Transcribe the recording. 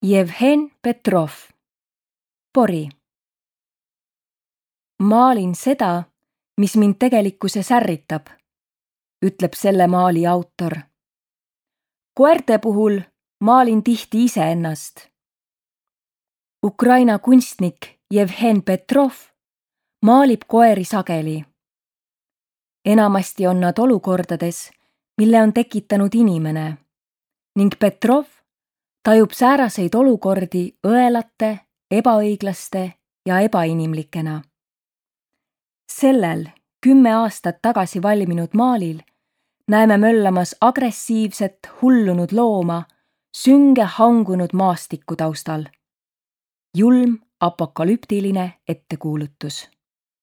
Jevhen Petrov, Pori. Maalin seda, mis mind tegelikkuses ärritab, ütleb selle maali autor. Koerte puhul maalin tihti iseennast. Ukraina kunstnik Jevhen Petrov maalib koeri sageli. Enamasti on nad olukordades, mille on tekitanud inimene, ning Petrov tajub sääraseid olukordi õelate, ebaõiglaste ja ebainimlikena. Sellel 10 aastat tagasi valminud maalil näeme möllamas agressiivset, hullunud looma sünge hangunud maastiku taustal. Julm apokalüptiline ettekuulutus.